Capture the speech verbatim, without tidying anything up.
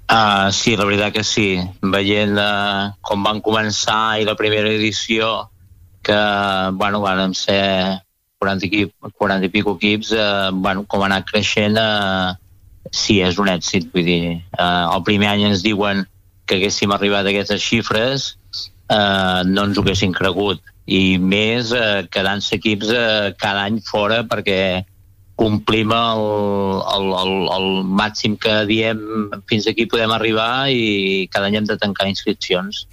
Uh, sí, la veritat que sí. Veient uh, com van començar i la primera edició, que, bueno, van ser quaranta, equip, quaranta i pico equips, uh, bueno, com ha anat creixent, uh, sí, és un èxit. Vull dir, uh, el primer any ens diuen que haguéssim arribat a aquestes xifres, uh, no ens ho haguéssim cregut. I més uh, quedant-se equips uh, cada any fora, perquè complim el, el, el, el màxim que diem fins aquí podem arribar, i cada any hem de tancar inscripcions.